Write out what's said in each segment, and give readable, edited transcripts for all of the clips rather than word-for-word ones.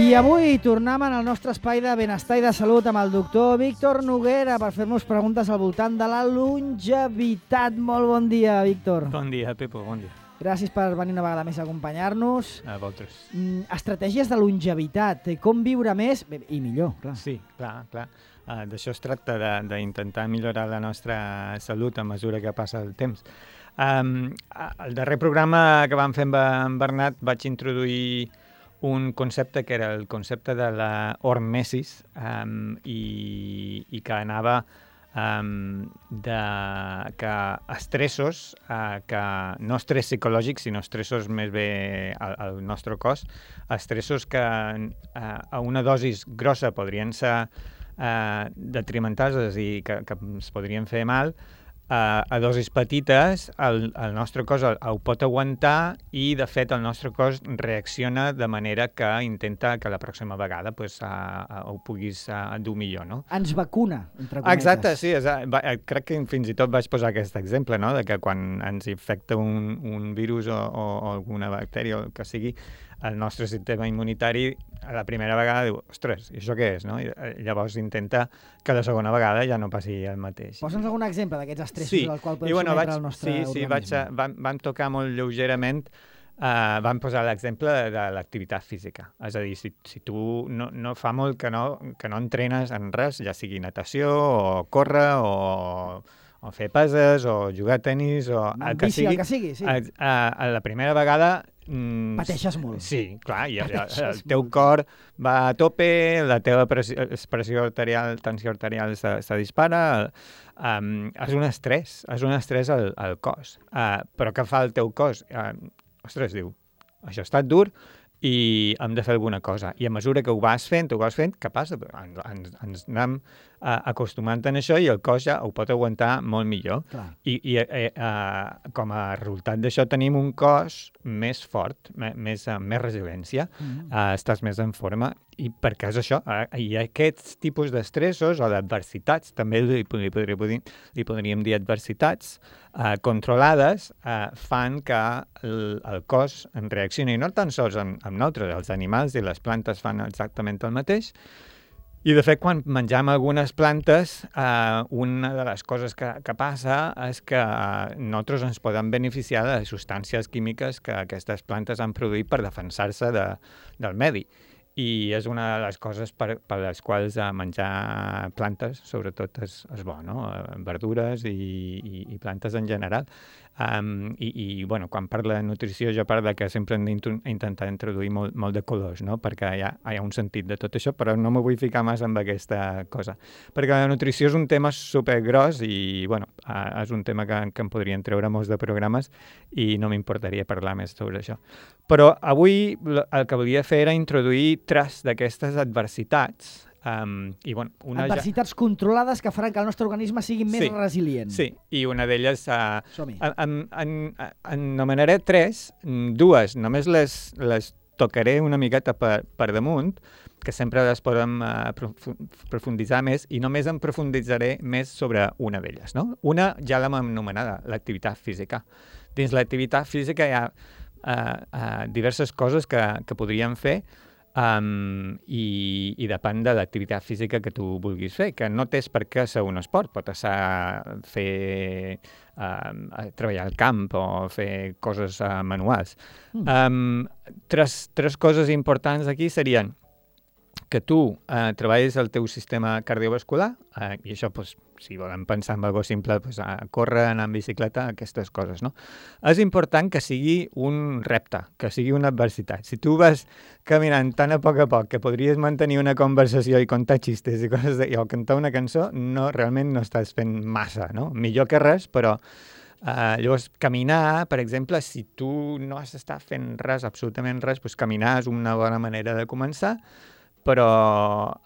I avui tornem en el nostre espai de benestar i de salut amb el doctor Víctor Noguera per fer-nos preguntes al voltant de la longevitat. Molt bon dia, Víctor. Bon dia, Pepo, bon dia. Gràcies per venir una vegada més a acompanyar-nos. A vosaltres. Estratègies de longevitat, com viure més i millor, clar. Sí, clar. D'això es tracta, d'intentar millorar la nostra salut a mesura que passa el temps. El darrer programa que vam fer amb Bernat vaig introduir un concepte que era el concepte de la hormesis i que anava de que estressos, que no estrès psicològics, sinó estressos més bé al nostre cos, estressos que a una dosis grossa podrien ser detrimentals i que ens podrien fer mal, a dosis petites el nostre cos ho pot aguantar i, de fet, el nostre cos reacciona de manera que intenta que la pròxima vegada ho puguis dur millor, no? Ens vacuna, entre cometes. Exacte, sí. Crec que fins i tot vaig posar aquest exemple, no?, de que quan ens infecta un virus o alguna bactèria o el que sigui, el nostre sistema immunitari a la primera vegada diu, ostres, i això què és, no? I llavors intenta que la segona vegada ja no passi el mateix. Posa'ns algun exemple d'aquests estressos al qual podem sometre el nostre organisme. Sí, vam tocar molt lleugerament, vam posar l'exemple de l'activitat física. És a dir, si tu no fa molt que no entrenes en res, ja sigui natació o córrer o fer peses o jugar a tenis o el que sigui, sí. A la primera vegada pateixes molt. Sí, clar, i el teu cor va a tope, la teva pressió arterial, tensió arterial se dispara, és un estrès al cos. Però què fa el teu cos? Ostres, diu, això ha estat dur i hem de fer alguna cosa. I a mesura que ho vas fent, què passa? Ens anem acostumant a això i el cos ja ho pot aguantar molt millor. I com a resultat d'això tenim un cos més fort, més resiliència, estàs més en forma. I per què és això? I aquests tipus d'estressos o d'adversitats, també li podríem dir adversitats, controlades, fan que el cos en reaccioni, no tan sols amb nosaltres, els animals i les plantes fan exactament el mateix. I, de fet, quan mengem algunes plantes, una de les coses que passa és que nosaltres ens podem beneficiar de substàncies químiques que aquestes plantes han produït per defensar-se del medi. I és una de les coses per les quals menjar plantes, sobretot, és bo, no? Verdures i plantes en general. Bueno, quan parlo de nutrició, jo parlo que sempre hem d'intentar introduir molt de colors, no? Perquè hi ha un sentit de tot això, però no m'ho vull ficar massa amb aquesta cosa. Perquè la nutrició és un tema supergros i, bueno, és un tema que em podrien treure molts de programes i no m'importaria parlar més sobre això. Però avui el que volia fer era introduir 3 d'aquestes adversitats. Adversitats controlades que faran que el nostre organisme sigui més resilient. Sí, i una d'elles anomenaré 3, 2 només les tocaré una miqueta per damunt, que sempre les podem profunditzar més, i només em profunditzaré més sobre una d'elles, no? Una ja l'hem anomenada, l'activitat física. Dins l'activitat física hi ha diverses coses que podríem fer i depèn de l'activitat física que tu vulguis fer, que no tens per què ser un esport, pot ser treballar al camp o fer coses manuals. 3 coses importants aquí serien que tu treballis el teu sistema cardiovascular, i això, si volem pensar en alguna cosa simple, córrer, anar en bicicleta, aquestes coses, no? És important que sigui un repte, que sigui una adversitat. Si tu vas caminant tan a poc que podries mantenir una conversació i contar xistes i coses o cantar una cançó, realment no estàs fent massa, no? Millor que res, però llavors caminar, per exemple, si tu no has d'estar fent res, absolutament res, caminar és una bona manera de començar, però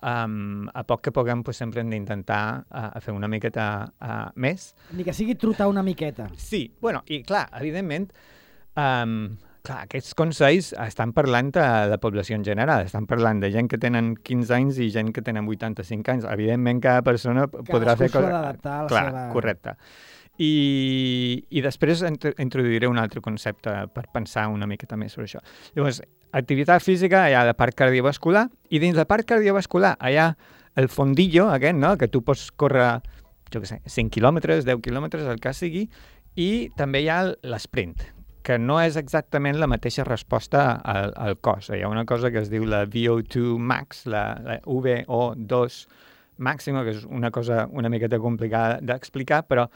a poc que puguem sempre hem d'intentar fer una miqueta més. Ni que sigui trotar una miqueta. Sí, bueno, i clar, evidentment, aquests consells estan parlant de la població en general, estan parlant de gent que tenen 15 anys i gent que tenen 85 anys. Evidentment, cada persona podrà fer coses... Cadascú s'ha d'adaptar a la seva... Correcte. I després introduiré un altre concepte per pensar una miqueta més sobre això. Llavors, activitat física, hi ha la part cardiovascular, i dins la part cardiovascular hi ha el fondillo aquest, no?, que tu pots córrer, jo què sé, 5 quilòmetres, 10 quilòmetres, el que sigui, i també hi ha l'esprint, que no és exactament la mateixa resposta al cos. Hi ha una cosa que es diu la VO2 max, la VO2 màxima, que és una cosa una miqueta complicada d'explicar, però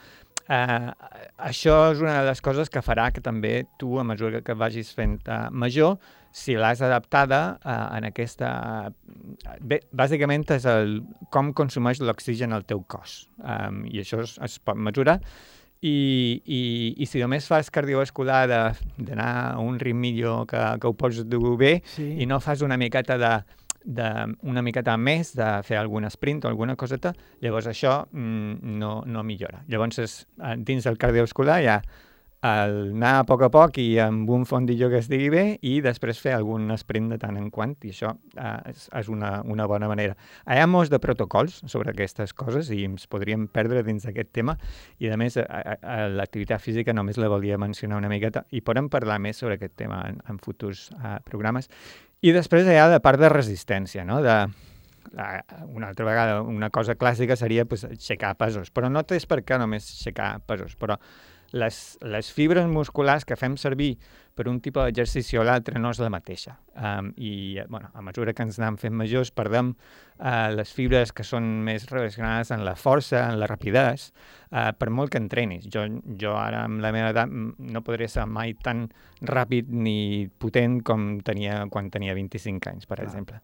això és una de les coses que farà que també tu, a mesura que vagis fent major, si l'has adaptada en aquesta... Bé, bàsicament és com consumeix l'oxigen al teu cos, i això es pot mesurar. I si només fas cardiovascular d'anar a un ritmillo que ho pots dur bé, sí, i no fas una miqueta una miqueta més de fer algun sprint o alguna coseta, llavors això no millora. Llavors, dins del cardiovascular hi ha anar a poc i amb un fondillo que es digui bé i després fer algun sprint de tant en quant, i això és una bona manera. Hi ha molts de protocols sobre aquestes coses i ens podríem perdre dins d'aquest tema, i a més l'activitat física només la volia mencionar una miqueta i podem parlar més sobre aquest tema en futurs programes. I després hi ha la part de resistència, no? Una altra vegada, una cosa clàssica seria aixecar pesos, però no és per què només aixecar pesos, però les fibres musculars que fem servir per un tipus d'exercici o l'altre no és la mateixa. I a mesura que ens anem fent majors perdem les fibres que són més relacionades amb la força, amb la rapidesa, per molt que entrenis. Jo ara, amb la meva edat, no podré ser mai tan ràpid ni potent com tenia quan tenia 25 anys, per exemple.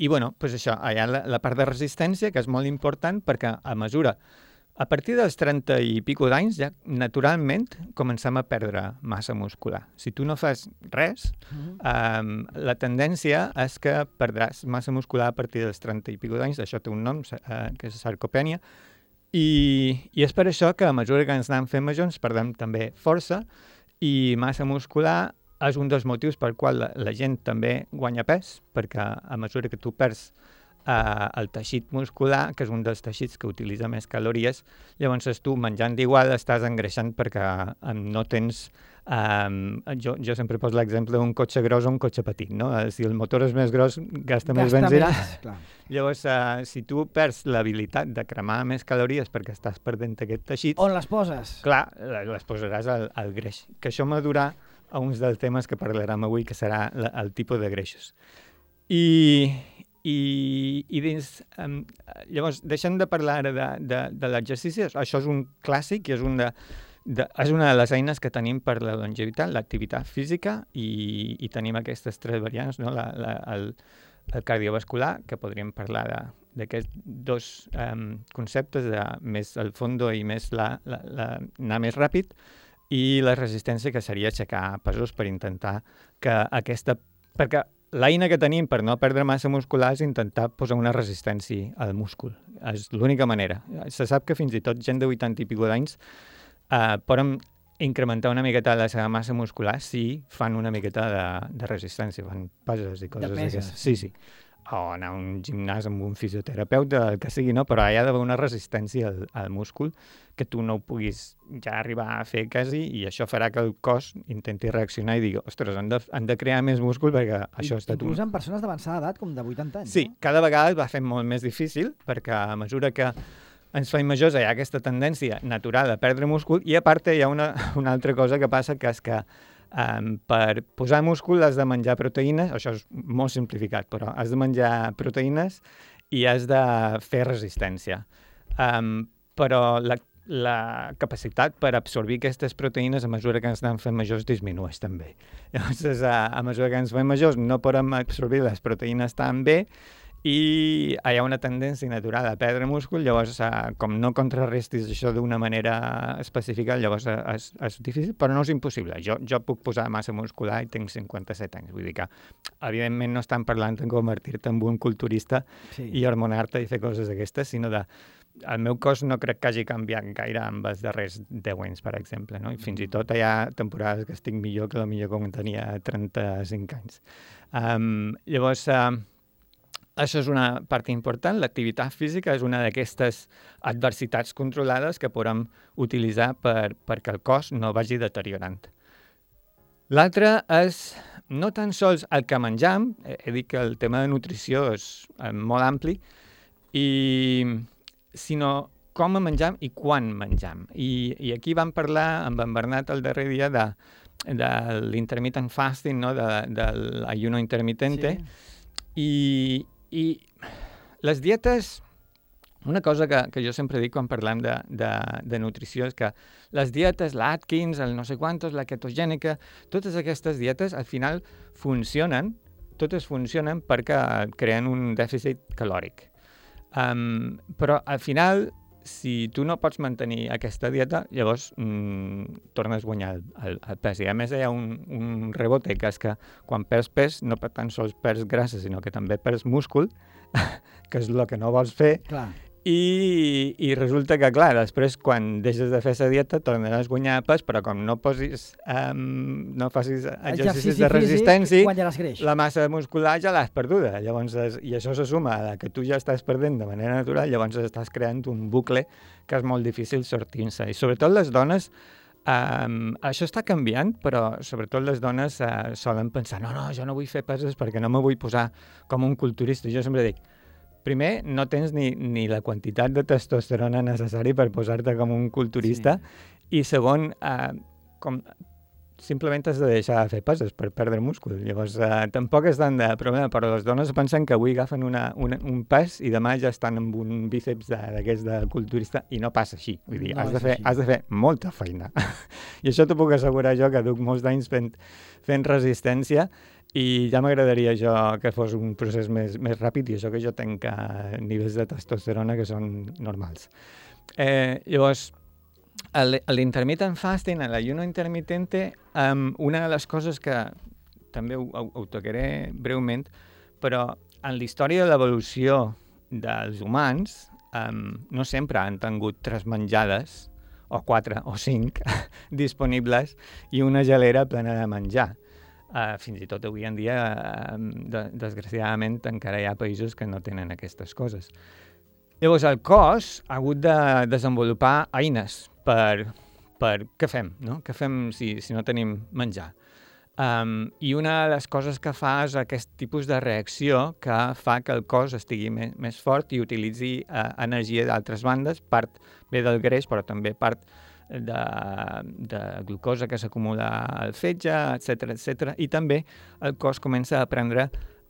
I bueno, doncs això, hi ha la part de resistència, que és molt important, perquè a partir dels 30 i pico d'anys, ja naturalment comencem a perdre massa muscular. Si tu no fas res, la tendència és que perdràs massa muscular a partir dels 30 i pico d'anys. Això té un nom, que és sarcopènia, i és per això que a mesura que ens anem fent majors perdem també força, i massa muscular és un dels motius per qual la gent també guanya pes, perquè a mesura que tu perds el teixit muscular, que és un dels teixits que utilitza més calories, llavors tu menjant d'igual estàs engreixant perquè no tens... Jo sempre poso l'exemple d'un cotxe gros o un cotxe petit, no? Si el motor és més gros, gasta més benzina. Llavors, si tu perds l'habilitat de cremar més calories perquè estàs perdent aquest teixit... On les poses? Clar, les posaràs al greix. Que això m'adurà a uns dels temes que parlarem avui, que serà el tipus de greixos. I dins... Llavors, deixem de parlar ara de l'exercici. Això és un clàssic i és una de les eines que tenim per la longevitat, l'activitat física, i tenim aquestes tres variants, no? El cardiovascular, que podríem parlar d'aquests dos conceptes, de més el fondo i més anar més ràpid, i la resistència, que seria aixecar pesos per intentar que aquesta... Perquè l'eina que tenim per no perdre massa muscular és intentar posar una resistència al múscul. És l'única manera. Se sap que fins i tot gent de 80 i pico d'anys poden incrementar una miqueta la seva massa muscular si fan una miqueta de resistència, fan peses i coses d'aquestes. Sí. O anar a un gimnàs amb un fisioterapeuta, el que sigui, no? Però hi ha d'haver una resistència al múscul que tu no ho puguis ja arribar a fer quasi, i això farà que el cos intenti reaccionar i digui, ostres, han de crear més múscul perquè això està... Inclús en persones d'avançada edat, com de 80 anys. Sí, no? Cada vegada es va fent molt més difícil, perquè a mesura que ens fem majors hi ha aquesta tendència natural a perdre múscul, i a part hi ha una altra cosa que passa, que és que per posar múscul has de menjar proteïnes, això és molt simplificat, però has de menjar proteïnes i has de fer resistència. Però la capacitat per absorbir aquestes proteïnes a mesura que ens anem fent majors disminueix també. Llavors, a mesura que ens fem majors no podem absorbir les proteïnes tan bé, i hi ha una tendència natural a perdre múscul. Llavors, com no contrarrestis això d'una manera específica, llavors és difícil, però no és impossible. Jo puc posar massa muscular i tinc 57 anys, vull dir que, evidentment, no estan parlant de convertir-te en un culturista i hormonar-te i fer coses d'aquestes, sinó el meu cos no crec que hagi canviat gaire amb els darrers 10 anys, per exemple, no? I fins i tot hi ha temporades que estic millor que potser quan tenia 35 anys. Llavors, això és una part important. L'activitat física és una d'aquestes adversitats controlades que podem utilitzar perquè el cos no vagi deteriorant. L'altre és no tan sols el que menjam, he dit que el tema de nutrició és molt ampli, sinó com menjam i quan menjam. I aquí vam parlar amb en Bernat el darrer dia de l'intermittent fasting, no? de l'ayuno intermitente, sí. I les dietes, una cosa que jo sempre dic quan parlem de nutrició és que les dietes, l'Atkins, el no sé quantos, la ketogènica, totes aquestes dietes al final totes funcionen perquè creen un dèficit calòric. Però al final, si tu no pots mantenir aquesta dieta, llavors tornes a guanyar el pes. I a més hi ha un rebote, que és que quan perds pes no tan sols perds grassa, sinó que també perds múscul, que és el que no vols fer. Clar. I resulta que, clar, després quan deixes de fer la dieta tornaràs a guanyar pes, però com no facis exercicis de resistència, la massa muscular ja l'has perduda. Llavors, i això se suma a que tu ja estàs perdent de manera natural, llavors estàs creant un bucle que és molt difícil sortir-se. I sobretot les dones, això està canviant, però sobretot les dones solen pensar no, jo no vull fer peses perquè no me vull posar com un culturista. Jo sempre dic, primer, no tens ni la quantitat de testosterona necessari per posar-te com un culturista, i segon, simplement has de deixar de fer peses per perdre múscul. Llavors, tampoc és tant de problema, però les dones pensen que avui agafen un pes i demà ja estan amb un bíceps d'aquest de culturista, i no passa així. Vull dir, has de fer molta feina. I això t'ho puc assegurar jo, que duc molts anys fent resistència, i ja m'agradaria jo que fos un procés més ràpid, i això que jo tenc nivells de testosterona que són normals. Llavors, l'intermittent fasting, l'ayuno intermitente, una de les coses que també ho tocaré breument, però en la història de l'evolució dels humans no sempre han tingut 3 menjades, o 4 o 5 disponibles, i una gelera plena de menjar. Fins i tot avui en dia, desgraciadament, encara hi ha països que no tenen aquestes coses. Llavors, el cos ha hagut de desenvolupar eines per què fem, no? Què fem si no tenim menjar? I una de les coses que fa és aquest tipus de reacció que fa que el cos estigui més fort i utilitzi energia d'altres bandes, part ve del greix, però també part de glucosa que s'acumula al fetge, etc. I també el cos comença a aprendre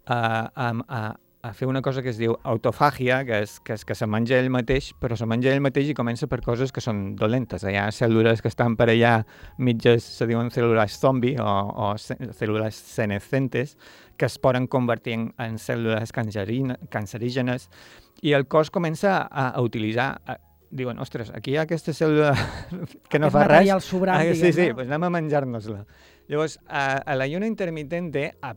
a fer una cosa que es diu autofàgia, que és que se menja ell mateix, però se menja ell mateix i comença per coses que són dolentes. Hi ha cèl·lules que estan per allà mitges, se diuen cèl·lules zombi o cèl·lules senescentes, que es poden convertir en cèl·lules cancerígenes, i el cos comença a utilitzar... Diuen, ostres, aquí hi ha aquesta cèl·lula que no fa res. Material sobrant, sí, doncs anem a menjar-nos-la. Llavors, l'ayuno intermitente, a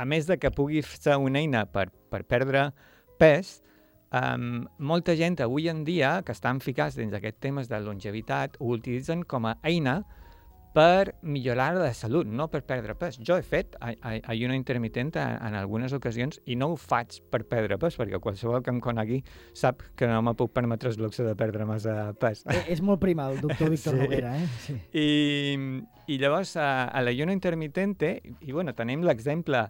més de que pugui ser una eina per perdre pes, molta gent avui en dia que estan ficats dins d'aquests temes de longevitat ho utilitzen com a eina per millorar la salut, no per perdre pes. Jo he fet ayuno intermitent en algunes ocasions i no ho faig per perdre pes, perquè qualsevol que em conegui sap que no me puc permetre el luxe de perdre massa pes. És molt prima el doctor Víctor Noguera, eh? Sí. I llavors a l'ayuno intermitente, i bueno, tenim l'exemple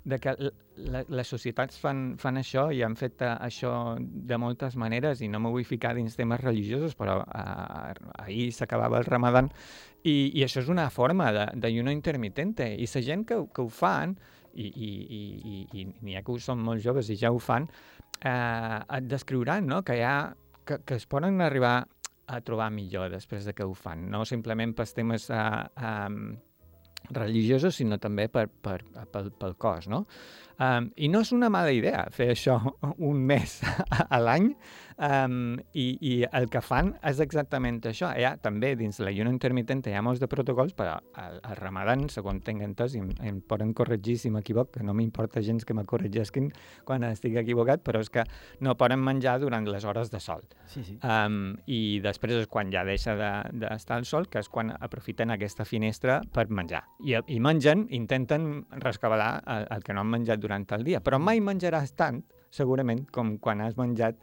de que les societats fan això i han fet això de moltes maneres, i no me vull ficar dins temes religiosos, però ahir s'acabava el Ramadan, i això és una forma d'ayuno intermitente, i la gent que ho fan, i n'hi ha que són molt joves i ja ho fan, et descriuran, no? que es poden arribar a trobar millor després de que ho fan, no simplement pels temes religiosos, sinó també pel cos, no? I no és una mala idea fer això un mes a l'any, i el que fan és exactament això. També dins l'ayuno intermitent hi ha molts de protocols, però al Ramadan, segons tinc entès, i em poden corregir si m'equivoc, que no m'importa gens que me corregisquin quan estigui equivocat, però és que no poden menjar durant les hores de sol. Sí. I després és quan ja deixa d'estar al sol, que és quan aprofiten aquesta finestra per menjar. I mengen, intenten rescabalar el que no han menjat durant el dia, però mai menjaràs tant, segurament, com quan has menjat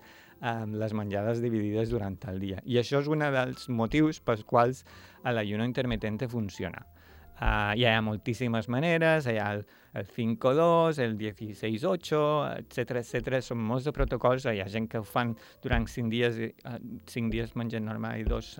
les menjades dividides durant el dia. I això és un dels motius pels quals l'ayuno intermitente funciona. Hi ha moltíssimes maneres, hi ha el 5-2, el 16-8, etc. Són molts de protocols, hi ha gent que ho fan durant 5 dies mengen normal i 2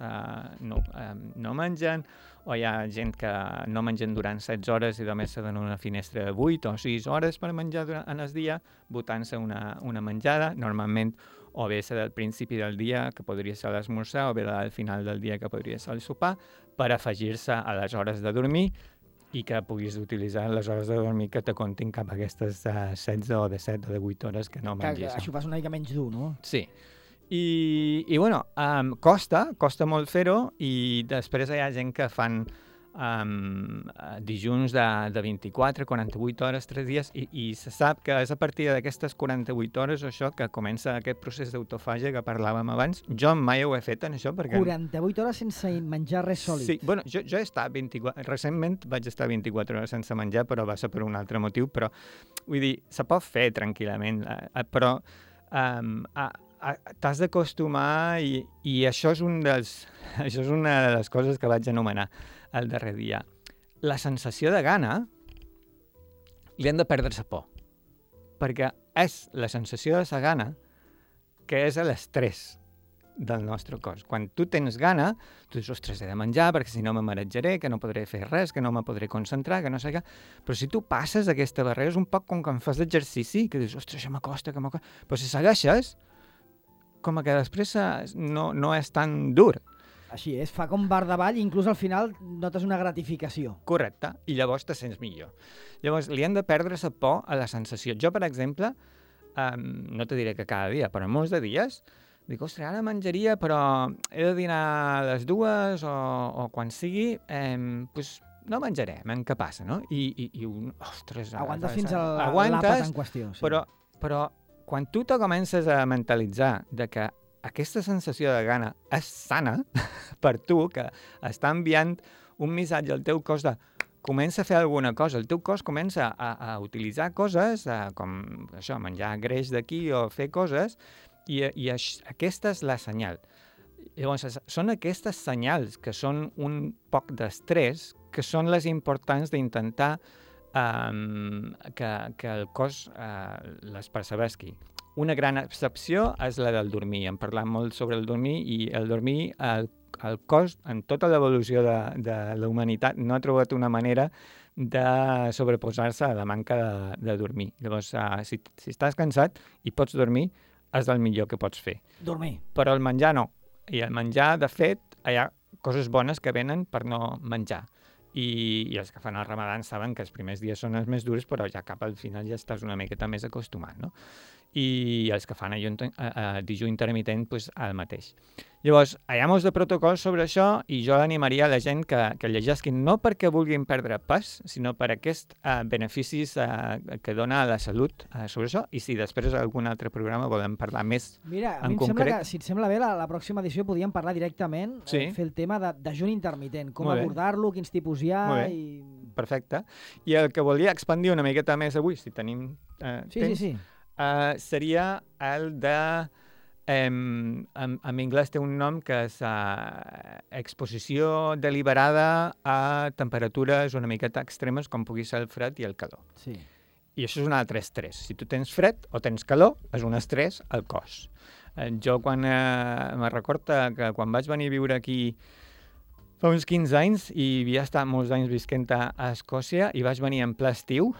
no mengen, o hi ha gent que no mengen durant 16 hores i només se donen una finestra de 8 o 6 hores per menjar en el dia, botant-se una menjada, normalment o bé ser del principi del dia, que podria ser l'esmorzar, o bé al final del dia, que podria ser el sopar, per afegir-se a les hores de dormir i que puguis utilitzar les hores de dormir que te comptin cap a aquestes 16 o de 7 o de 8 hores que no mengis. Que això fas una mica menys dur, no? Sí. I bueno, costa molt fer-ho, i després hi ha gent que fan dijuns de 24, 48 hores, 3 dies, i se sap que és a partir d'aquestes 48 hores això que comença aquest procés d'autofàgia que parlàvem abans. Jo mai ho he fet en això perquè... 48 hores sense menjar res sòlid. Sí, bueno, jo he estat recentment vaig estar 24 hores sense menjar, però va ser per un altre motiu, però vull dir, se pot fer tranquil·lament, però t'has d'acostumar, i això és una de les coses que vaig anomenar el darrer dia. La sensació de gana li han de perdre la por, perquè és la sensació de la gana que és l'estrès del nostre cos. Quan tu tens gana, tu dius, ostres, he de menjar perquè si no me marejaré, que no podré fer res, que no me podré concentrar, que no sé què. Però si tu passes aquesta barrera és un poc com quan fas exercici, que dius, ostres, això m'acosta, però si segueixes, com que després no és tan dur. Així és, fa com bar davall i inclús al final notes una gratificació. Correcte, i llavors te sents millor. Llavors, li han de perdre la por a la sensació. Jo, per exemple, no te diré que cada dia, però molts de dies, dic, ostres, ara menjaria, però he de dinar a les 2 o quan sigui, doncs no menjaré, què passa, no? I ostres... Aguantes fins a l'àpat en qüestió. Sí. Però quan tu te comences a mentalitzar de que aquesta sensació de gana és sana per tu, que està enviant un missatge al teu cos de comença a fer alguna cosa, el teu cos comença a utilitzar coses, com això, menjar greix d'aquí o fer coses, i aquesta és la senyal. Llavors, són aquestes senyals que són un poc d'estrès, que són les importants d'intentar que el cos les percebesqui. Una gran excepció és la del dormir. Hem parlat molt sobre el dormir, i el dormir, el cos, en tota l'evolució de la humanitat, no ha trobat una manera de sobreposar-se a la manca de dormir. Llavors, si estàs cansat i pots dormir, és el millor que pots fer. Dormir. Però el menjar no. I el menjar, de fet, hi ha coses bones que venen per no menjar. I els que fan el Ramadan saben que els primers dies són els més durs, però ja cap al final ja estàs una miqueta més acostumat, no? I els que fan dijú intermitent, doncs el mateix. Llavors, hi ha molts de protocols sobre això, i jo animaria a la gent que llegisquin no perquè vulguin perdre pes, sinó per aquests beneficis que dona a la salut sobre això, i si després algun altre programa volem parlar més en concret. Mira, a mi em sembla que, si et sembla bé, la pròxima edició podíem parlar directament, sí. Fer el tema d'ajun intermitent, com abordar-lo, quins tipus hi ha... Perfecte. I el que volia expandir una miqueta més avui, si tenim temps... Sí. Seria el de... en anglès té un nom que és exposició deliberada a temperatures una miqueta extremes, com pugui ser el fred i el calor. Sí. I això és un altre estrès. Si tu tens fred o tens calor, és un estrès al cos. Jo me recordo que quan vaig venir a viure aquí fa uns 15 anys, i havia estat molts anys visquent a Escòcia, i vaig venir en ple estiu,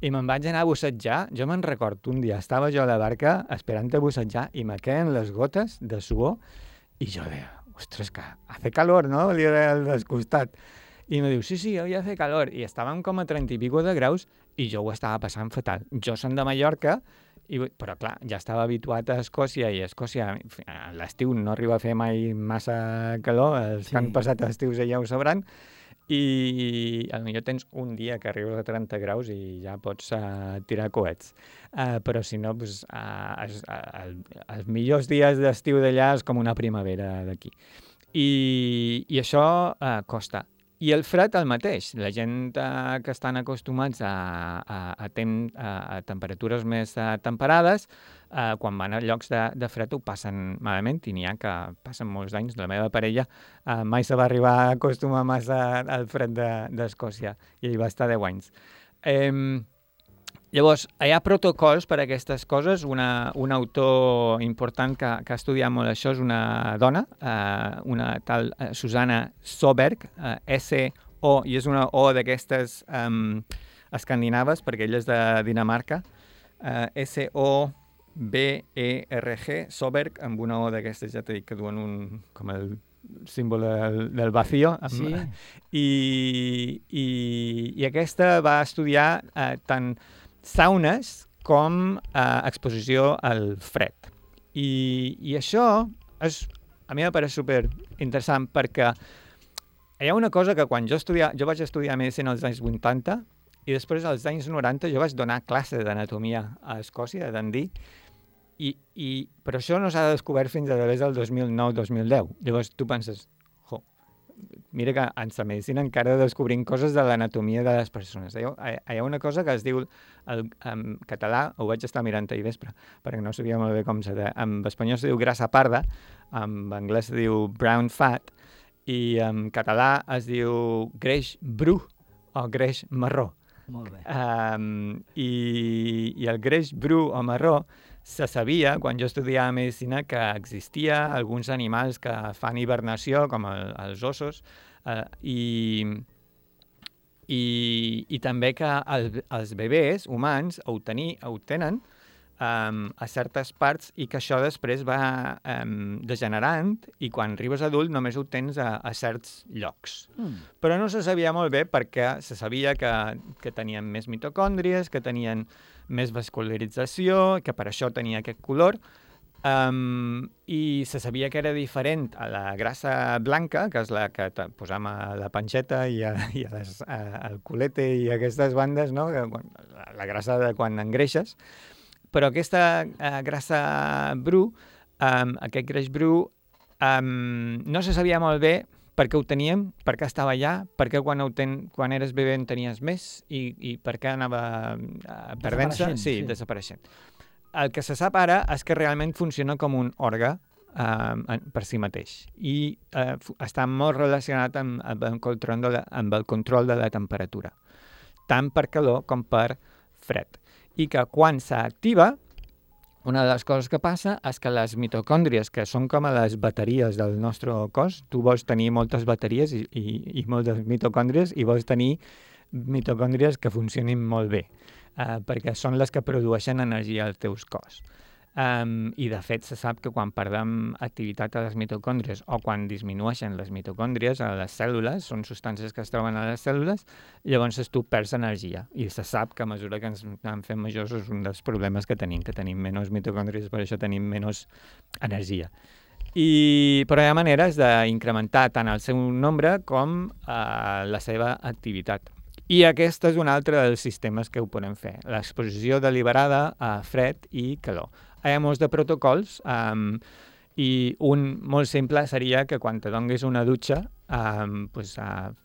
i me'n vaig anar a bussejar. Jo me'n recordo, un dia estava jo a la barca esperant a bussejar, i me queden les gotes de suor, i jo deia, ostres, que hace calor, no? Li deia al descostat. I me diu, sí, hoy hace calor. I estàvem com a 30 i pico de graus, i jo ho estava passant fatal. Jo som de Mallorca, però clar, ja estava habituat a Escòcia, i a Escòcia a l'estiu no arriba a fer mai massa calor, els que han passat estius ja ho sabran, i potser tens un dia que arribes a 30 graus i ja pots tirar coets. Però si no, els millors dies d'estiu d'allà és com una primavera d'aquí. I això costa. I el fred el mateix. La gent que estan acostumats a temperatures més temperades, quan van a llocs de fred ho passen malament i n'hi ha que passen molts anys. La meva parella mai se va arribar a acostumar massa al fred d'Escòcia i ell va estar 10 anys. Llavors, hi ha protocols per a aquestes coses. Un autor important que ha estudiat molt això és una dona, una tal Susanna Soberg, S-O, i és una O d'aquestes escandinaves, perquè ella és de Dinamarca, S-O-B-E-R-G, Soberg, amb una O d'aquestes, ja t'he dit que duen com el símbol del vacío. Sí. I aquesta va estudiar tant saunes com exposició al fred. I això a mi em pareix super interessant perquè hi ha una cosa que quan jo vaig estudiar medicina als anys 80 i després als anys 90 jo vaig donar classe d'anatomia a Escòcia, a Dundee, però això no s'ha descobert fins a través del 2009-2010. Llavors tu penses, mira que en la medicina encara descobrim coses de l'anatomia de les persones. Hi ha una cosa que es diu, en català, ho vaig estar mirant ahir vespre, perquè no sabia molt bé com se deia. En espanyol es diu grassa parda, en anglès es diu brown fat, i en català es diu greix bru o greix marró. Molt bé. I el greix bru o marró se sabia, quan jo estudiava medicina, que existia alguns animals que fan hibernació, com els ossos, i també que els bebès humans ho tenen a certes parts i que això després va degenerant i quan arribes adult només ho tens a certs llocs. Però no se sabia molt bé perquè se sabia que tenien més mitocòndries, que tenien més vascularització, que per això tenia aquest color, i se sabia que era diferent a la grassa blanca, que és la que posam a la panxeta i al culete i a aquestes bandes, no? La grassa de quan engreixes. Però aquesta grassa bru, aquest greix bru, no se sabia molt bé per què ho teníem, per què estava allà, per què quan eres bebè en tenies més i per què anava perdent-se. Sí, desapareixent. El que se sap ara és que realment funciona com un òrgan per si mateix i està molt relacionat amb el control de la temperatura, tant per calor com per fred. I que quan s'activa, una de les coses que passa és que les mitocòndries, que són com a les bateries del nostre cos, tu vols tenir moltes bateries i moltes mitocòndries i vols tenir mitocòndries que funcionin molt bé, perquè són les que produeixen energia al teu cos. I de fet se sap que quan perdem activitat a les mitocòndries o quan disminueixen les mitocòndries a les cèl·lules, són substàncies que es troben a les cèl·lules, llavors tu perds energia. I se sap que a mesura que ens anem fent majors és un dels problemes que tenim menys mitocòndries, per això tenim menys energia. Però hi ha maneres d'incrementar tant el seu nombre com la seva activitat. I aquest és un altre dels sistemes que ho podem fer, l'exposició deliberada a fred i calor. Hi ha molts de protocols i un molt simple seria que quan te donguis una dutxa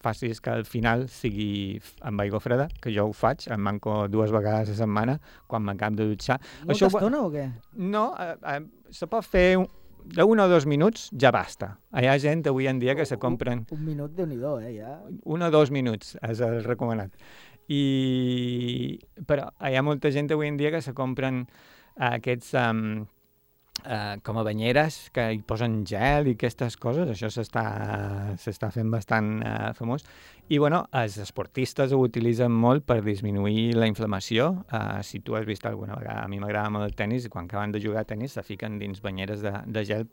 facis que al final sigui amb aigua freda, que jo ho faig, em manco 2 vegades a la setmana quan m'acabo de dutxar. Molta estona o què? No, se pot fer d'1 o 2 minuts ja basta. Hi ha gent avui en dia que se compren... Un minut, Déu-n'hi-do, ja. 1 o 2 minuts és el recomanat. Però hi ha molta gent avui en dia que se compren aquests com a banyeres que hi posen gel i aquestes coses. Això s'està fent bastant famós. I, bueno, els esportistes ho utilitzen molt per disminuir la inflamació. Si tu has vist alguna vegada, a mi m'agrada molt el tennis, i quan acaben de jugar a tennis se fiquen dins banyeres de gel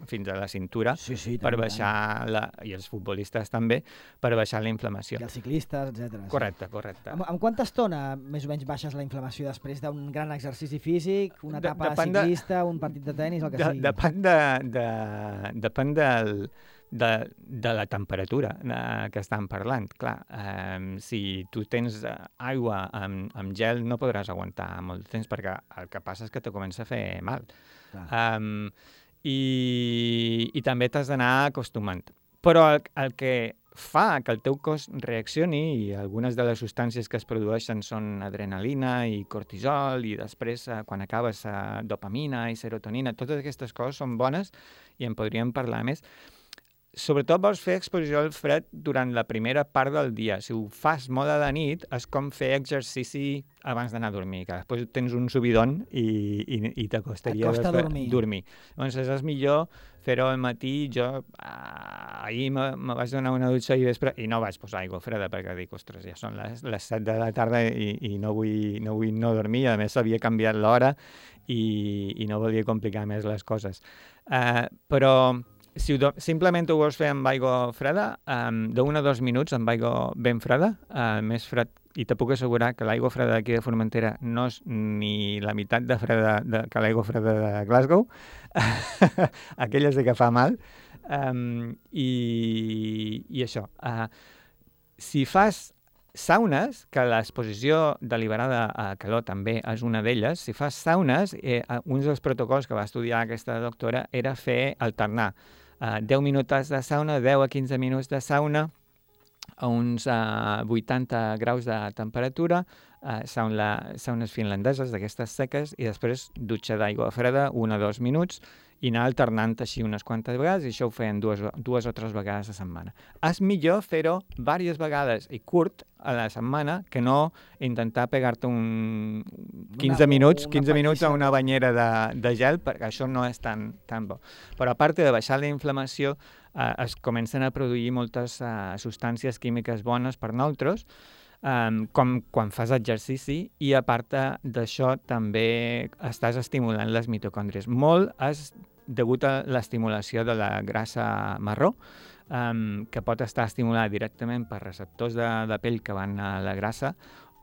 fins a la cintura per baixar, i els futbolistes també, per baixar la inflamació. I els ciclistes, etc. Correcte. En quanta estona més o menys baixes la inflamació després d'un gran exercici físic, una etapa ciclista, un partit de tennis, el que sigui? Depèn de la temperatura que estan parlant. Clar, si tu tens aigua amb gel no podràs aguantar molt temps perquè el que passa és que te comença a fer mal. I també t'has d'anar acostumant. Però el que fa que el teu cos reaccioni, i algunes de les substàncies que es produeixen són adrenalina i cortisol, i després, quan acabes, dopamina i serotonina. Totes aquestes coses són bones i en podríem parlar més. Sobretot vols fer exposició al fred durant la primera part del dia. Si ho fas molt a la nit, és com fer exercici abans d'anar a dormir, que després tens un subidon i t'acostaria dormir. Llavors és millor fer-ho al matí. Jo ahir me vaig donar una dutxa ahir vespre i no vaig posar aigua freda perquè dic, ostres, ja són les 7 de la tarda i no vull no dormir. A més, s'havia canviat l'hora i no volia complicar més les coses. Però si simplement ho vols fer amb aigua freda, d'1 a 2 minuts amb aigua ben freda, més fred, i te puc assegurar que l'aigua freda d'aquí de Formentera no és ni la meitat de freda que l'aigua freda de Glasgow. Aquella sí que fa mal. I això. Si fas saunes, que l'exposició deliberada a calor també és una d'elles, si fas saunes, un dels protocols que va estudiar aquesta doctora era fer alternar 10 minuts de sauna, 10 a 15 minuts de sauna, a uns 80 graus de temperatura, saunes finlandeses d'aquestes seques, i després dutxa d'aigua freda, 1 o 2 minuts, i anar alternant així unes quantes vegades, i això ho feien dues o tres vegades a la setmana. És millor fer-ho diverses vegades i curt a la setmana que no intentar pegar-te 15 minuts a una banyera de gel, perquè això no és tan bo. Però a part de baixar la inflamació, es comencen a produir moltes substàncies químiques bones per nosaltres, com quan fas exercici, i a part d'això també estàs estimulant les mitocòndries. Molt és degut a l'estimulació de la grassa marró, que pot estar estimulada directament per receptors de pell que van a la grassa,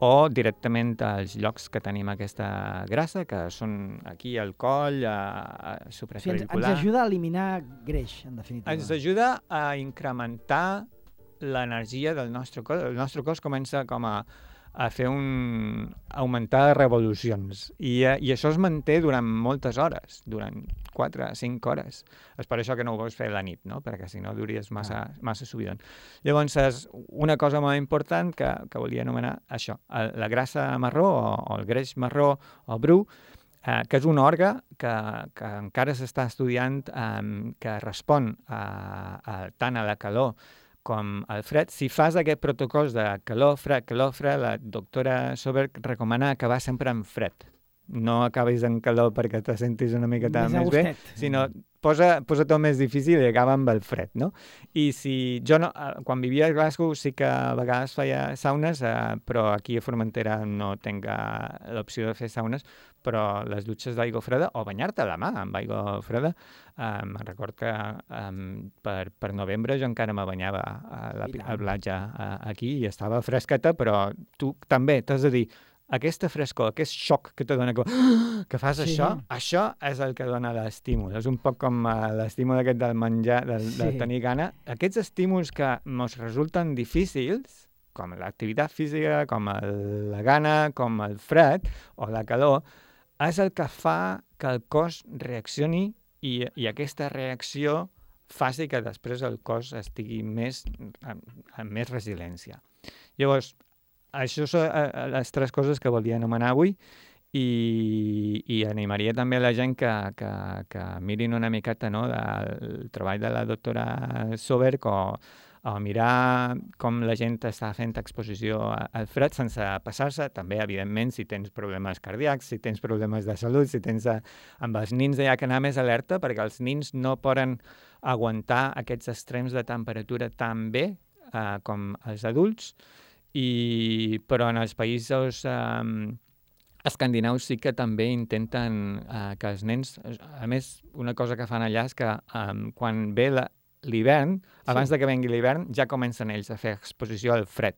o directament als llocs que tenim aquesta grassa, que són aquí al coll, supraclavicular. Ens ajuda a eliminar greix, en definitiva. Ens ajuda a incrementar l'energia del nostre cos. El nostre cos comença com a augmentar revolucions. I això es manté durant moltes hores, durant 4 a 5 hores. És per això que no ho vols fer a la nit, no? Perquè si no duries massa subidon. Llavors, és una cosa molt important que volia anomenar això, la grassa marró o el greix marró o bru, que és un òrgan que encara s'està estudiant, que respon tant a la calor com el fred. Si fas aquest protocol de calor-fred, la doctora Soberg recomana acabar sempre en fred. No acabis en calor perquè te sentis una miqueta més bé, sinó posa-t'ho més difícil i acaba amb el fred, no? I si jo no, quan vivia a Glasgow sí que a vegades feia saunes, però aquí a Formentera no tinc l'opció de fer saunes, però les dutxes d'aigua freda, o banyar-te la mà amb aigua freda, me'n record que per novembre jo encara me banyava a la platja aquí i estava fresqueta, però tu també t'has de dir, aquesta frescor, aquest xoc que te dona, que fas això és el que dona l'estímul. És un poc com l'estímul aquest del menjar, de tenir gana. Aquests estímuls que ens resulten difícils, com l'activitat física, com la gana, com el fred o la calor, és el que fa que el cos reaccioni i aquesta reacció faci que després el cos estigui amb més resiliència. Llavors, això són les 3 coses que volia anomenar avui i animaria també a la gent que mirin una miqueta, no, del treball de la doctora Soberg o mirar com la gent està fent exposició al fred sense passar-se. També, evidentment, si tens problemes cardíacs, si tens problemes de salut, si tens... Amb els nins hi ha que anar més alerta perquè els nins no poden aguantar aquests extrems de temperatura tan bé com els adults, però en els països escandinaus sí que també intenten que els nens... A més, una cosa que fan allà és que quan ve l'hivern, abans de que vengui l'hivern, ja comencen ells a fer exposició al fred.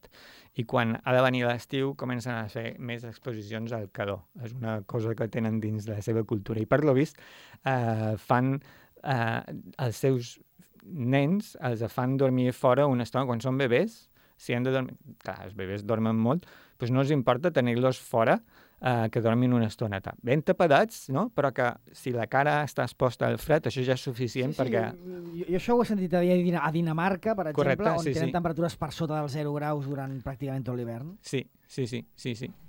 I quan ha de venir l'estiu, comencen a fer més exposicions al calor. És una cosa que tenen dins la seva cultura. I per lo vist, fan els seus nens, els fan dormir fora una estona. Quan són bebès, si han de dormir... Clar, els bebès dormen molt, doncs no els importa tenir-los fora que dormin una estoneta. Ben tapadets, no? Però que si la cara està exposta al fred, això ja és suficient perquè... Jo això ho he sentit a dir a Dinamarca, per exemple, Correcte, on tenen temperatures per sota dels 0 graus durant pràcticament tot l'hivern. Sí.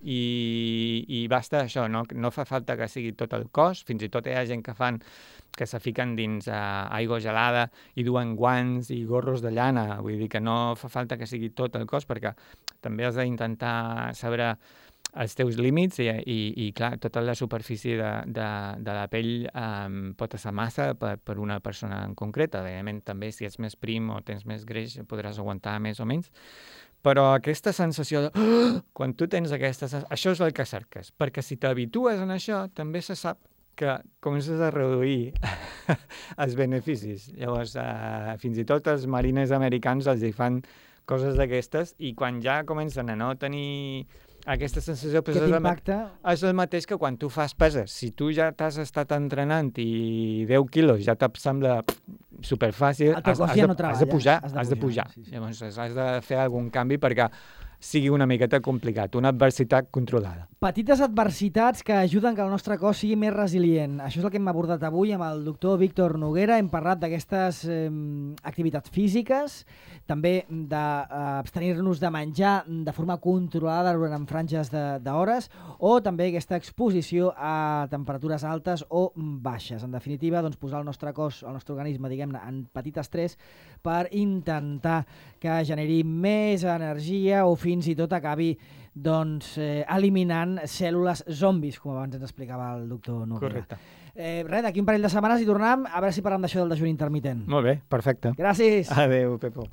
I basta això, no fa falta que sigui tot el cos, fins i tot hi ha gent que se fiquen dins aigua gelada i duen guants i gorros de llana, vull dir que no fa falta que sigui tot el cos perquè també has d'intentar saber els teus límits i clar, tota la superfície de la pell pot ser massa per una persona en concreta. Evidentment, també si ets més prim o tens més greix podràs aguantar més o menys, però aquesta sensació de... Quan tu tens aquesta sensació... Això és el que cerques, perquè si t'habitues en això, també se sap que comences a reduir els beneficis. Llavors, fins i tot els marines americans els hi fan coses d'aquestes i quan ja comencen a no tenir aquesta sensació... Que t'impacta? És el mateix que quan tu fas peses. Si tu ja t'has estat entrenant i 10 quilos ja et sembla superfàcil, has de pujar. Sí. Llavors has de fer algun canvi perquè sigui una miqueta complicat, una adversitat controlada. Petites adversitats que ajuden que el nostre cos sigui més resilient. Això és el que hem abordat avui amb el doctor Víctor Noguera. Hem parlat d'aquestes activitats físiques, també d'abstenir-nos de menjar de forma controlada durant franges d'hores o també aquesta exposició a temperatures altes o baixes. En definitiva, doncs, posar el nostre cos, el nostre organisme, diguem-ne, en petit estrès per intentar que generi més energia o fins i tot acabi eliminant cèl·lules zombis, com abans ens explicava el doctor Noguera. Correcte. Res, d'aquí un parell de setmanes hi tornem, a veure si parlem d'això del dejuni intermitent. Molt bé, perfecte. Gràcies. Adéu, Pepo.